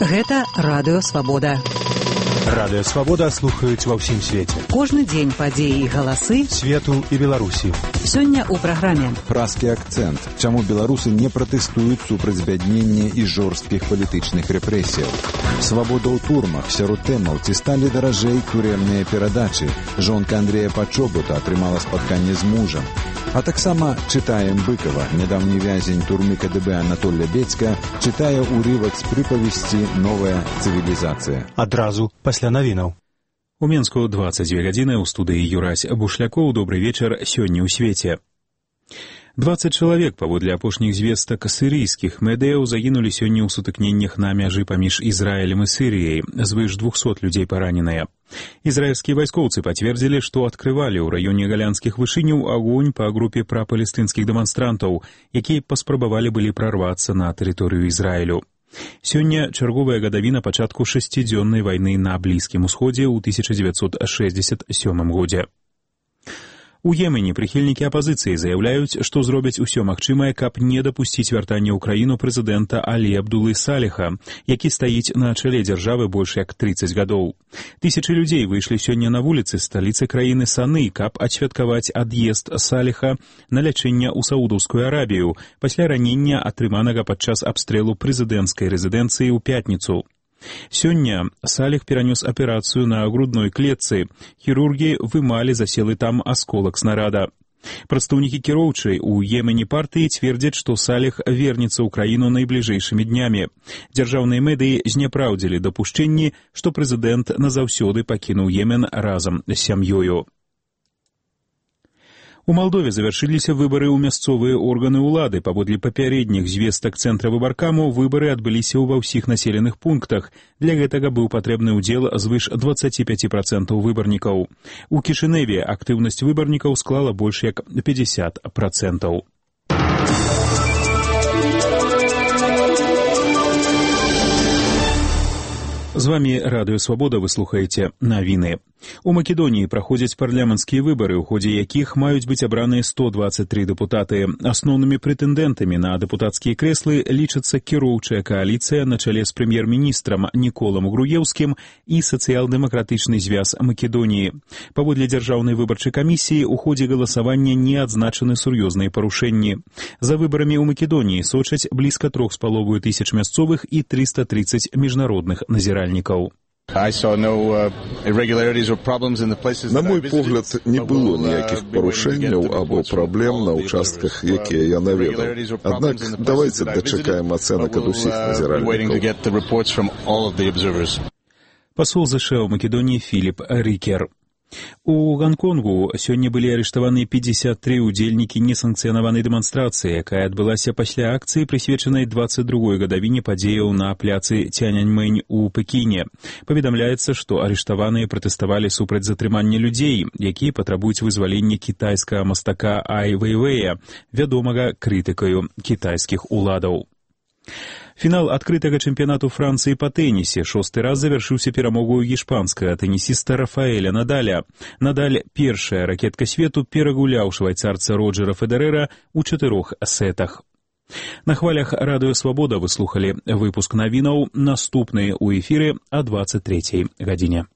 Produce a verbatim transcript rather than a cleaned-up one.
Гэта радыё Свабода. Радыё Свабода слухаюць ва ўсім свеце. Кожны дзень падзеі і галасы свету і Беларусі. Сёння ў праграме празкі акцэнт. Чаму беларусы не пратэстуюць супраць збяднення і жорсткіх палітычных рэпрэсіяў? Свабода ў турмах. Сярод тэмаў, ці сталі даражэй турэмныя перадачы. Жонка Андрэя Пачобута атрымала спатканне з мужам. А таксама чытаем Быкова. Нядаўні вязень турмы КДБ Анатолля Бецька чытае ўрывак з прыпавесці «Новая цывілізацыя». Адразу пасля навінаў. У Менску дваццаць дзве гадзіны, у студыі Юрась Бушлякоў. Добры вечар, сёння ў свеце. дваццаць чалавек, паводле апошніх звестак сірыйскіх медыяў, загінулі сёння ў сутыкненнях на мяжы паміж Ізраілем і Сірыяй. Звыш двухсот людзей параненыя. Ізраільскія вайскоўцы пацвердзілі, што адкрывалі ў раёне галянскіх вышыняў агонь па групе прапалестынскіх дэманстрантаў, якія паспрабавалі былі прарвацца на тэрыторыю Ізраілю. Сёння чарговая гадавіна пачатку шасцідзённай вайны на Блізкім Усходзе ў тысяча дзевяцьсот шэсцьдзесят сёмым годзе. У Йемене прыхільнікі апазіцыі заяўляюць, што зробяць усё магчымае, каб не дапусціць вяртання ў краіну прэзідэнта Алі Абдулы Саліха, які стаіць на чале дзяржавы больш як трыццаць гадоў. Тысячы людзей выйшлі сёння на вуліцы сталіцы краіны Саны, каб адсвяткаваць ад'езд Саліха на лячэнне ў Саудаўскую Арабію пасля ранення, атрыманага падчас абстрэлу прэзідэнцкай рэзідэнцыі ў пятніцу. Сёння Саліх перанёс аперацыю на грудной клетцы. Хірургі вымалі заселы там асколак снарада. Прадстаўнікі кіроўчай у Йемене партыі цвердзяць, што Саліх вернецца ў краіну найбліжэйшымі днямі. Дзяржаўныя медыі зняпраўдзілі дапушчэнні, што прэзідэнт назаўсёды пакінуў Йемен разам з сям'ёю. У Малдове завяршыліся выбары ў мясцовыя органы ўлады. Паводле папярэдніх звестак цэнтра выбаркаму, выбары адбыліся ва ўсіх населеных пунктах. Для гэтага быў патрэбны ўдзел звыш дваццаць пяць працэнтаў выбарнікаў. У Кішыневе актыўнасць выбарнікаў склала больш як пятьдесят працэнтаў. З вамі Радыё Свабода, вы слухаеце навіны. У Македоніі праходзяць парламенцкія выбары, у ходзе якіх маюць быць абраныя сто дваццаць тры дэпутаты. Асноўнымі прэтэндэнтамі на дэпутацкія крэслы лічацца кіроўчая кааліцыя на чале з прэм'ер-міністрам Ніколам Груеўскім і сацыял-дэмакратычны звяз Македоніі. Паводле дзяржаўнай выбарчай камісіі, у ходзе галасавання не адзначаны сур'ёзныя парушэнні. За выбарамі ў Македоніі сочаць блізка трох з паловаю тысяч мясцовых і трыста трыццаць міжнародных назіральнікаў. На мой погляд, не было ніякіх парушэнняў або праблем на ўчастках, якія я наведаў. Аднак, давайце дачакаем ацэнак ад усіх назіральнікаў. Пасол ЗША ў Македоніі Філіп Рікер. У Гонконгу сёння былі арыштаваны пятьдесят три удзельнікі несанкцыянаванай дэманстрацыі, якая адбылася пасля акцыі, прысвечанай дваццаць другой гадавіне падзеяў на пляцы Цяньаньмэнь у Пекіне. Паведамляецца, што арыштаваныя пратэставалі супраць затрымання людзей, якія патрабуюць вызвалення кітайскага мастака Ай Вэйвэя, вядомага крытыкаю кітайскіх уладаў. Фінал адкрытага чэмпіянату Францыі па тэнісе шосты раз завяршыўся перамогою іспанскага тэнісіста Рафаэля Надаля. Надаль, першая ракетка свету, перагуляў швайцарца Роджера Федерэра ў чатырох сетах. На хвалях Радыё Свабода вы слухалі выпуск навінаў. Наступныя ў эфіры о дваццаць трэцяй гадзіне.